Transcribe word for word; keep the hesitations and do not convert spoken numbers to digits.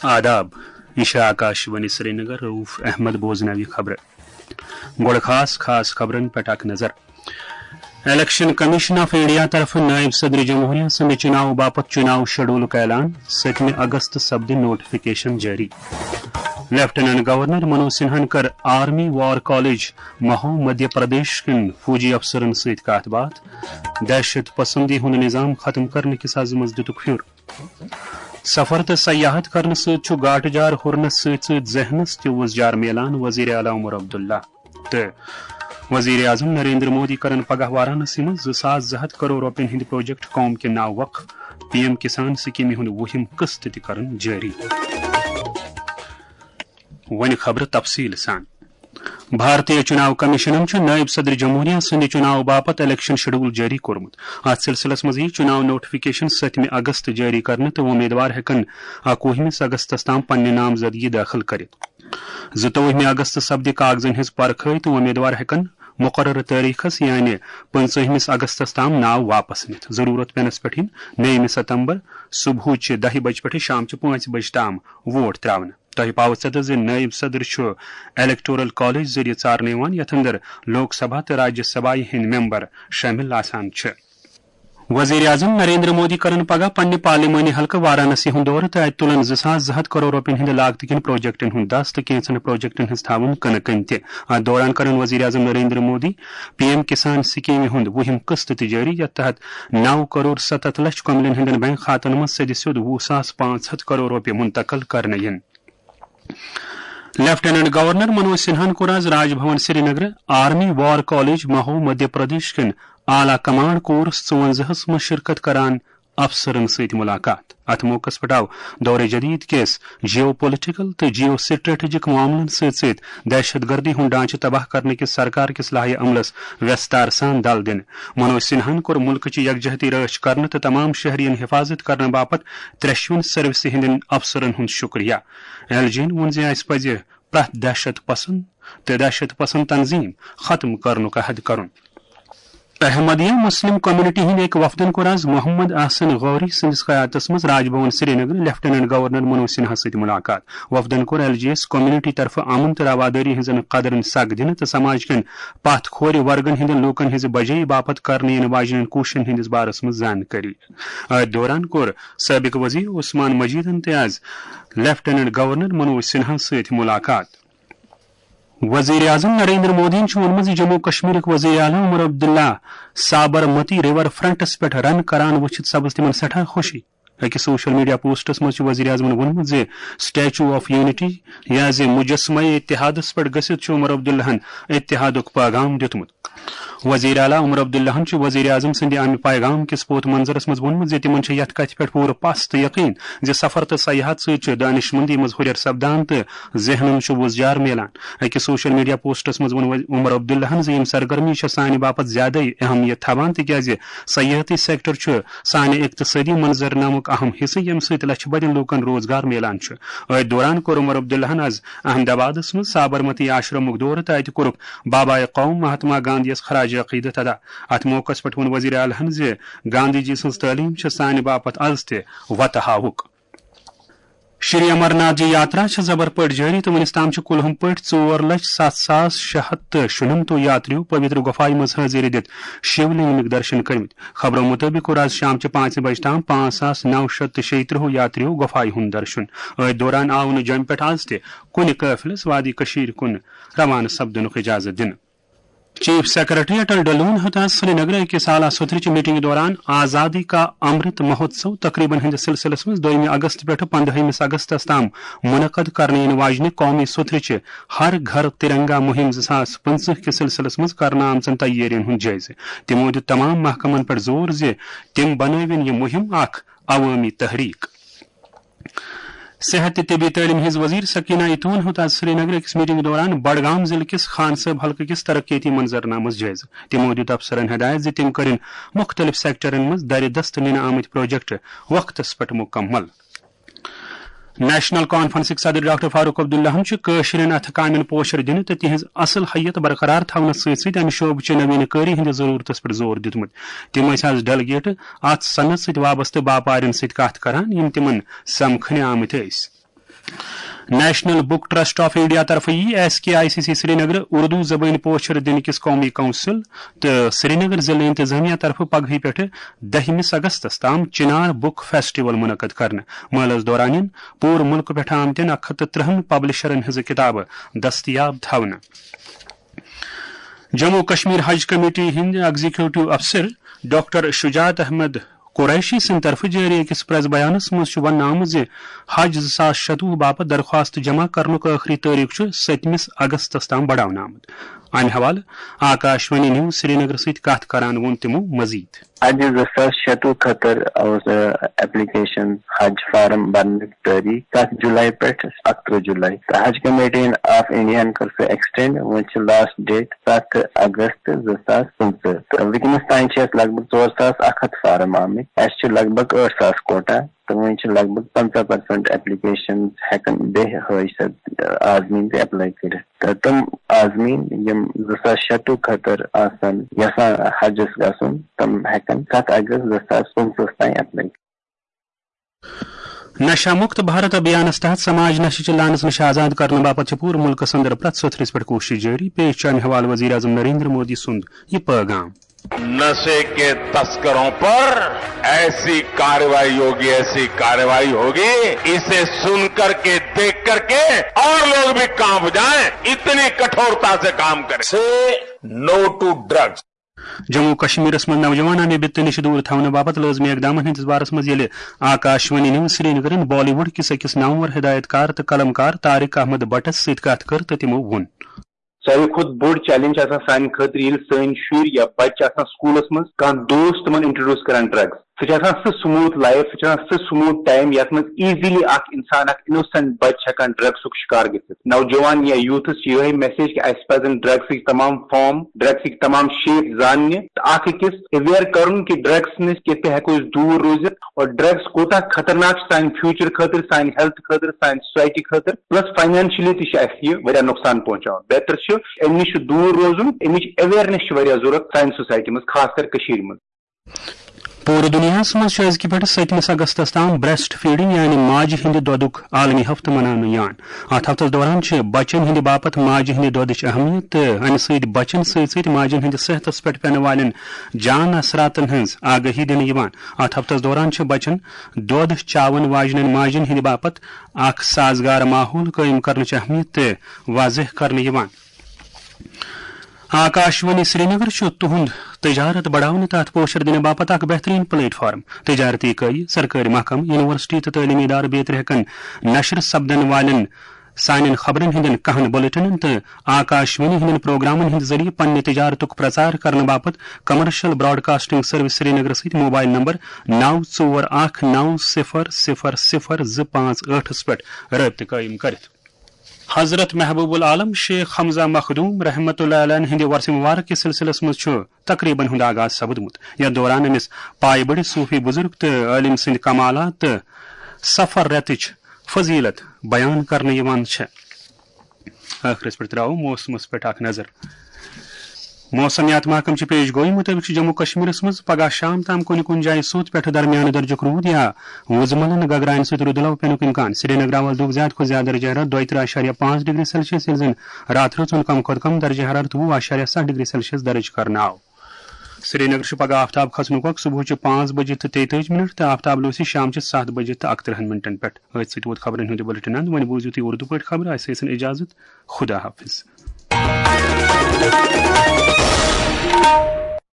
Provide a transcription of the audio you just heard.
آداب، یہ چھِ آکاش وانی سرینگر۔ رؤف احمد بوزناوِ خبرٕ۔ گۄڈٕ خاص خاص خبرن پٮ۪ٹھ اکھ نظر۔ الیکشن کمیشن آف انڈیا طرفہٕ نائب صدر جمہوریہ سٕنٛدِ چُناو باپتھ چُناو شیڈولُک اعلان، سٔتمہِ اگست سپدِ نوٹیفکیشن جٲری۔ لیفٹیننٹ گورنر منوج سنہاہن کٔر army war college Mhow Madhya Pradesh کٮ۪ن فوجی افسرن سۭتۍ کتھ باتھ۔ دہشت پسندی ہُنٛد نظام ختم کرنہٕ کِس عزمس دِتُکھ پھیُر۔ سفر تہٕ سیاحت کرنہٕ سۭتۍ چھُ گاٹہٕ جار ہُرنس سۭتۍ سۭتۍ ذہنس تہِ وُزجار میلان، وزیر اعلیٰ عمر عبداللہ۔ تہٕ وزیر اعظم نریندر مودی کرن پگاہ وارانسی منٛز زٕ ساس زٕ ہتھ کرور رۄپین ہٕنٛدۍ پروجیکٹ قوم کے ناو وقف، پی ایم کسان سکیمہِ ہُنٛد وُہِم قسط تہِ کرن جٲری۔ وۄنۍ خبرٕ تفصیٖل سان۔ بھارتیہ چُناو کمیشنن چھُ نٲیِب صدر جمہوریہ سٕنٛدِ چُناو باپتھ الیکشن شیڈول جٲری کوٚرمُت۔ اتھ سلسلس منٛز یِیہِ چُناو نوٹیفکیشن سٔتمہِ اگست جٲری کرنہٕ تہٕ وۄمیدوار ہٮ۪کن اکوُہمِس اگستس تام پننہِ نامزدگی دٲخل کٔرِتھ۔ زٕتووُہمہِ اگست سپدِ کاغذن ہٕنٛز پرکھٲے تہٕ وۄمیدوار ہٮ۪کن مقررٕ تٲریخس، یعنی پٕنٛژٕہمِس اگستس تام، ناو واپس نِتھ۔ ضروٗرت پینس پٮ۪ٹھ یِن نٔیمہِ ستمبر صبحٕچہِ دَہہِ بجہِ پٮ۪ٹھٕ شامچہِ پانٛژِ بجہِ تام ووٹ ترٛاونہٕ۔ تۄہہِ پاوٕ ژتجی زِ نٲیِب صدر چھُ الیکٹورل کالج ذٔریعہٕ ژارنہٕ یِوان، یَتھ اندر لوک سبھا تہٕ راجیہ سبھایہ ہٕنٛدۍ ممبر شٲمِل آسان چھِ۔ وزیر اعظم نریندر مودی کرن پگاہ پننہِ پارلیمانی حلقہٕ وارانسی ہُنٛد دورٕ تہٕ اتہِ تُلن زٕ ساس زٕ ہتھ کرور رۄپین ہٕنٛدِ لاگتہٕ کٮ۪ن پروجیکٹن ہُنٛد دس تہٕ کینٛژن پروجیکٹن ہٕنٛز تھاوُن کٕنہٕ کٔنۍ تہِ۔ اتھ دوران کرن وزیر اعظم نریندر مودی پی ایم کسان سکیمہِ ہُنٛد وُہِم قسط تہِ جٲری، یتھ تحت نو کرور ستتھ لچھ کۄملین ہٕنٛدٮ۪ن بینک کھاتن منٛز سیٚدِ سیوٚد وُہ ساس پانٛژھ ہتھ کرور رۄپیہِ منتقل کرنہٕ یِن۔ لیفٹیننٹ گورنر منوج سنہاہن کوٚر آز راج بھون سرینگرٕ army war college Mhow Madhya Pradesh کٮ۪ن اعلیٰ کمانڈ کورس ژُوَنزاہس منٛز شرکت کران افسرن سۭتۍ ملاقات۔ اتھ موقعس پٮ۪ٹھ آو دورِ جدید کِس جیو پولیٹیکل تہٕ جیو سٹریٹجک معاملن سۭتۍ سۭتۍ دہشت گردی ہُنٛد ڈھانچہٕ تباہ کرنہٕ کِس سرکار کِس لایحہ عملس وستار سان دل دِنہٕ۔ منوج سنہاہن کوٚر مُلکٕچ یکجہتی رٲچھ کرنہٕ تہٕ تمام شہرین حفاظت کرنہٕ باپتھ ترٛیشوٕنۍ سروسہِ ہٕنٛدٮ۪ن افسرن ہُنٛد شُکریہ۔ ایل جی یَن ووٚن زِ اسہِ پزِ پرٛٮ۪تھ دہشت پسند تہٕ دہشت پسند تنظیم ختم کرنُک عہد کرُن۔ احمدیہ مسلم کمیونٹی ہٕنٛدۍ أکۍ وفدن کوٚر آز محمد احسن غوری سٕنٛدِس قیادتس منٛز راج بھون سرینگر لیفٹیننٹ گورنر منوج سنہا سۭتۍ ملاقات۔ وفدن کوٚر ایل جی یَس کمیونٹی طرفہٕ امن تہٕ روادٲری ہٕنٛزن قدرن سگ دِنہٕ تہٕ سماج کٮ۪ن پتھ کھورِ ورگن ہٕنٛدٮ۪ن لوٗکن ہٕنٛزِ بجٲیی باپتھ کرنہٕ یِنہٕ واجنٮ۪ن کوٗششن ہٕنٛدِس بارس منٛز زانکٲری۔ أتھۍ دوران کوٚر سٲبق وزیر عثمان مجیدن تہِ آز لیفٹیننٹ گورنر منوج سنہا سۭتۍ ملاقات۔ وزیر اعظم نریندر مودیَن چھُ ووٚنمُت زِ جموں کشمیرٕکۍ وزیر اعلیٰ عمر عبداللہ سابرمتی ریور فرنٹس پٮ۪ٹھ رن کران وٕچھِتھ سپٕز تِمن سٮ۪ٹھاہ خوشی۔ أکِس سوشل میڈیا پوسٹس منٛز چھُ وزیر اعظمن ووٚنمُت زِ اسٹیچو آف یونٹی یا زِ مجسمہ اتحادس پٮ۪ٹھ گٔژھِتھ چھُ عمر عبداللہن اتحادُک پیغام دیُتمُت۔ وزیر اعلیٰ عمر عبداللہن چھُ وزیر اعظم سٕنٛدِ امہِ پیغام کِس پوت منظرس منٛز ووٚنمُت زِ تِمن چھُ یتھ کتھِ پٮ۪ٹھ پوٗرٕ پژھ تہٕ یقین زِ سفر تہٕ سیاحت سۭتۍ چھُ دانشمندی منٛز ہُرٮ۪ر سپدان تہٕ ذہنن چھُ وُزجار میلان۔ أکِس سوشل میڈیا پوسٹس منٛز ووٚن عمر عبداللہن زِ یِم سرگرمی چھےٚ سانہِ باپتھ زیادَے اہمیت تھاوان، تِکیازِ سیاحتی سیکٹر چھُ سانہِ اقتصٲدی منظرنامُک اہم حصہٕ، ییٚمہِ سۭتۍ لچھِ بٔدٮ۪ن لوٗکن روزگار میلان چھُ۔ أتھۍ دوران کوٚر عمر عبداللہن آز احمد آبادس منٛز سابرمتی آشرمُک دورٕ تہٕ اتہِ کوٚرُکھ بابائے قوم مہاتما گاندھیَس خراج عقیدت ادا۔ اتھ موقعس پٮ۪ٹھ ووٚن وزیر اعلیٰ ہن زِ گاندھی جی سٕنٛز تعلیٖم چھِ سانہِ باپتھ از تہِ وتہٕ ہاوُک۔ شری امر ناتھ جی یاترا چھِ زبر پٲٹھۍ جٲری تہٕ وُنِس تام چھِ کُلہُم پٲٹھۍ ژور لچھ ستھ ساس شےٚ ہتھ تہٕ شُنمتو یاتریو پویتر گۄپھایہِ منٛز حٲضِری دِتھ شیو لنگمٕکۍ درشن کٔرمٕتۍ۔ خبرو مُطٲبِق کوٚر آز شامچہِ پانٛژِ بجہِ تام پانٛژھ ساس نو شیٚتھ تہٕ شیٚیہِ ترٕٛہ یاتریو گۄپھایہِ ہُنٛد درشن۔ أتھۍ دوران آو نہٕ جوٚمہِ پٮ۪ٹھ آز تہِ کُنہِ قٲفلس وادی کٔشیٖرِ کُن روانہٕ سپدنُک اجازت دِنہٕ۔ چیف سیکرٹری اٹل ڈلون ہیوٚت آز سرینگرٕ أکِس اعلیٰ سوٚتھرِ چہِ میٹنگہِ دوران آزادی کا امرت مہوتسو تقریبن ہٕنٛدِس سلسلس منٛز دوٚیمہِ اگست پٮ۪ٹھٕ پندہٲیمِس اگستس تام منعقد کرنہٕ یِنہٕ واجنہِ قومی سوٚتھرِ چہِ ہر گھر ترنگا مُہِم زٕ ساس پٕنٛژٕہ کِس سلسلس منٛز کرنہٕ آمژن تیٲرین ہُنٛد جٲیزٕ۔ تِمو دیُت تمام محکمن پٮ۪ٹھ زور زِ تِم بنٲوِن یہِ مُہِم اکھ عوٲمی تحریک۔ صحت تہٕ طبی تعلیٖم ہٕنٛز وزیر سکینہ ایتون ہیوٚت آز سرینگرٕ أکِس میٹنگہِ دوران بڈگام ضلعہٕ کِس خان صٲب حلقہٕ کِس ترقیتی منظرنامس جٲیزٕ۔ تِمو دیُت افسرن ہدایت زِ تِم کٔرِن مُختٔلِف سیکٹرن منٛز درِ دست نِنہٕ آمٕتۍ پروجیکٹ وقتس پٮ۪ٹھ مُکمل۔ نیشنل کانفرنسٕکۍ صدر ڈاکٹر فاروق عبداللہَن چھُ کٲشرٮ۪ن اَتھٕ کامٮ۪ن پوچھر دِنہٕ تہٕ تِہنٛز اصل حیت برقرار تھاونس سۭتۍ سۭتۍ امہِ شعبہٕ چہِ نویٖن کٲری ہٕنٛدِ ضروٗرتس پٮ۪ٹھ زور دیُتمُت۔ تِم ٲسۍ از ڈیلیگیٹ اتھ صنعت سۭتۍ وابستہٕ باپارٮ۪ن سۭتۍ کتھ کران، یِم تِمن سمکھنہِ آمٕتۍ ٲسۍ۔ National book trust of India طرفہٕ یی S K I C C Srinagar Urdu زبٲنۍ پوچھر دِنہٕ کِس قومی کونسل تہٕ سرینگر ضلعہٕ انتظامیہ طرفہٕ پگہٕے پٮ۪ٹھٕ دٔہمِس اگستس تام چنار بک فیسٹیول منعقد کرنہٕ۔ مٲلَس دوران یِن پوٗرٕ مُلکہٕ پٮ۪ٹھ آمتٮ۪ن اکھ ہتھ تہٕ ترٕٛہن پبلشرن ہٕنٛزٕ کِتابہٕ دٔستیاب تھاونہٕ۔ جموں کشمیر حج کمیٹی ہٕنٛدۍ ایگزیکیوٹو افسر ڈاکٹر شجاعت احمد قریشی سٕنٛدِ طرفہٕ جٲری أکِس پریس بیانس منٛز چھُ وننہٕ آمُت زِ حج زٕ ساس شتوُہ باپتھ درخواست جمع کرنُک ٲخری تٲریخ چھُ سٔتمِس اگستس تام بڑاونہٕ آمُت۔ امہِ حوالہٕ آکاشوانی نیوز سرینگر سۭتۍ کتھ کران ووٚن تِمو مزید۔ حج زٕ ساس شتوُہ خٲطرٕ اوس ایپلیکیشن حج فارم بننُک تٲریخ ستھ جولائی پٮ۪ٹھ اکترٕہ جولائی، تہٕ حج کمیٹی آف انڈیاہن کٔر سۄ ایکسٹینڈ۔ وۄنۍ چھِ لاسٹ ڈیٹ ستھ اگست زٕ ساس پٕنٛژٕہ، تہٕ وٕنکیٚنس تام چھِ اَسہِ لگ بگ ژور ساس اکھ ہتھ فارم آمٕتۍ۔ اَسہِ چھِ لگ بگ ٲٹھ ساس کوٹا، تہٕ وۄنۍ چھِ لگ بگ پنٛژاہ پرسنٹ ایپلیکیشن ہٮ۪کن بیٚیہِ حٲج صٲب عازمیٖن تہِ ایپلاے کٔرِتھ۔ تہٕ تِم عازمیٖن یِم زٕ ساس شتوُہ خٲطرٕ آسن یژھان حجس گژھُن، تِم ہٮ۪کن ستھ اگست زٕ ساس پٕنٛژٕہس تام ایپلاے۔ نشہ مکت بھارت ابھیانس تحت سماج نشہ چہ لعنس نش آزاد کرنہٕ باپتھ چھِ پوٗرٕ ملکس اندر پرٛٮ۪تھ سٔتھرِس پٮ۪ٹھ کوٗشش جٲری۔ پیش چھُ امہِ حوالہٕ وزیر اعظم نریندر مودی سُنٛد یہِ پٲغام۔ نشے کے تسکروں پر ایسی कार्रवाई होगी, ऐसी कार्रवाई होगी, इसे सुन करके, देख करके और लोग भी कांप जाएं, इतनी कठोरता से काम करें। Say no to drugs. Jammu کشمیرس منٛز نوجوان امہِ بِتہٕ نِش دوٗر تھاونہٕ باپتھ لٲزمی اقدامن ہٕنٛدِس بارس منٛز ییٚلہِ آکاشوانی نیوز سرینگرن بالی ووڈ کِس أکِس نامور ہدایت کار تہٕ قلم کار طارق احمد بٹس سۭتۍ کتھ کٔر تہٕ تِمو ووٚن۔ ساروی کھۄتہٕ بوٚڑ چیلنج چھِ آسان سانہِ خٲطرٕ ییٚلہِ سٲنۍ شُرۍ یا بچہِ چھِ آسان سکوٗلس منٛز، کانٛہہ دوست تِمن انٹروڈیوس کران ڈرگس۔ سُہ چھُ آسان سُہ سموٗتھ لایف، سُہ چھُ آسان سُہ سموٗتھ ٹایم یتھ منٛز ایزیلی اکھ انسان، اکھ انوسنٹ بچہِ چھُ ہٮ۪کان ڈرگسُک شکار گٔژھِتھ۔ نوجوان یا یوٗتھس چھِ یِہے میسیج کہِ اسہِ پزن ڈرگسٕکۍ تمام فارم، ڈرگسٕکۍ تمام شیپ زاننہِ تہٕ اکھ أکِس اویئر کرُن کہِ ڈرگس نِش کِتھ پٲٹھۍ ہٮ۪کو أسۍ دوٗر روٗزِتھ اور ڈرگس کوٗتاہ خطرناک چھُ سانہِ فیوچر خٲطرٕ، سانہِ ہیلتھ خٲطرٕ، سانہِ سوسایٹی خٲطرٕ، پلس فاینانشلی تہِ چھُ اسہِ یہِ واریاہ نۄقصان پہنچاوان۔ بہتر چھُ امہِ نِش چھُ دوٗر روزُن، امِچ اویئرنیس چھِ واریاہ ضروٗرت سانہِ سوسایٹی منٛز، خاص کر کٔشیٖرِ منٛز۔ پوٗرٕ دُنیاہَس منٛز چھُ أزکہِ پٮ۪ٹھٕ سٔتمِس اگستَس تام بریسٹ فیڈنگ یعنی ماجہِ ہٕنٛدِ دۄدُک عالمی ہفتہٕ مناونہٕ یِوان۔ اَتھ ہفتَس دوران چھِ بچن ہٕنٛدِ باپتھ ماجہِ ہٕنٛدِ دۄدٕچ اہمیت تہٕ اَمہِ سۭتۍ بچن سۭتۍ سۭتۍ ماجن ہٕنٛدِس صحتَس پٮ۪ٹھ پٮ۪نہٕ والٮ۪ن جان اثراتن ہٕنٛز آگٲہی دِنہٕ یِوان۔ اَتھ ہفتَس دوران چھِ بچن دۄد چاوَن واجنٮ۪ن ماجن ہٕنٛدِ باپتھ اکھ سازگار ماحول قٲیِم کرنٕچ اہمیت تہِ واضح کرنہٕ یِوان۔ آکاشوانی سرینگر چھُ تُہُنٛد تجارت بڑاونہٕ تہٕ اَتھ پوچھر دِنہٕ باپتھ اکھ بہترین پلیٹ فارم۔ تجارتی اکٲیی، سرکٲرۍ محکمہٕ، یونیورسٹی تہٕ تعلیمی ادارٕ بیترِ ہٮ۪کن نشر سپدن والٮ۪ن سانٮ۪ن خبرن ہٕنٛدٮ۪ن کہن بلیٹنن تہٕ آکاشوانی ہٕنٛدٮ۪ن پروگرامن ہٕنٛدِ ذٔریعہٕ پننہِ تجارتُک پرچار کرنہٕ باپتھ کمرشل براڈکاسٹنگ سروس سرینگر سۭتۍ موبائل نمبر نو ژور اکھ نو صفر صفر صفر زٕ پانٛژھ ٲٹھس پٮ۪ٹھ رٲبطہٕ قٲیِم کٔرِتھ۔ حضرت محبوب العالم شیخ حمزہ مخدوم رحمت اللہ علیہ ہٕنٛدِ ورثہ مبارک کِس سلسلس منٛز چھُ تقریبن ہُنٛد آغاز سپدمُت، یتھ دوران أمِس پایہِ بٔڑِس صوفی بزرگ تہٕ عٲلم سٕنٛدۍ کمالات تہٕ سفر رٮ۪تٕچ فضیلت بیان کرنہٕ یِوان چھےٚ۔ ٲخرس پٮ۪ٹھ ترٛاوو موسمس پٮ۪ٹھ اکھ نظر۔ موسمیات محکمہٕ چہِ پیش گویی مُطٲبِق چھُ جموں کشمیرس منٛز پگہہ شام تام کُنہِ کُنہِ جایہِ سوٚت پٮ۪ٹھٕ درمیانہٕ درجُک روٗد یا وُزملن گگراین سۭتۍ رُدٕ لو پینُک امکان۔ سرینگر آو از دۄہُک زیادٕ کھۄتہٕ زیادٕ درجہ حرارت دۄیہِ ترٕٛہ اعشاریہ پانٛژھ ڈگری سیلسیس، ییٚلہِ زن راتہٕ رٲژ ہُنٛد کم کھۄتہٕ کم درجہ حرارت وُہ اعشاریہ ستھ ڈگری سیلسیس درج کرنہٕ آو۔ سرینگر چھُ پگہہ آفتاب کھسنُک وقت صبحٕچہِ پانٛژھ بجہِ تہٕ تیٚتٲجی منٹ تہٕ آفتاب لوسی شامچہِ ستھ بجہِ تہٕ اکترٕٛہن منٹن پٮ۪ٹھ۔ أتھۍ سۭتۍ ووت خبرن ہُنٛد یہِ بُلٹن اند۔ وۄنۍ بوٗزِو تُہۍ اردو پٲٹھۍ خبرٕ۔ اسہِ ٲسِن اجازت۔ خدا حافظ۔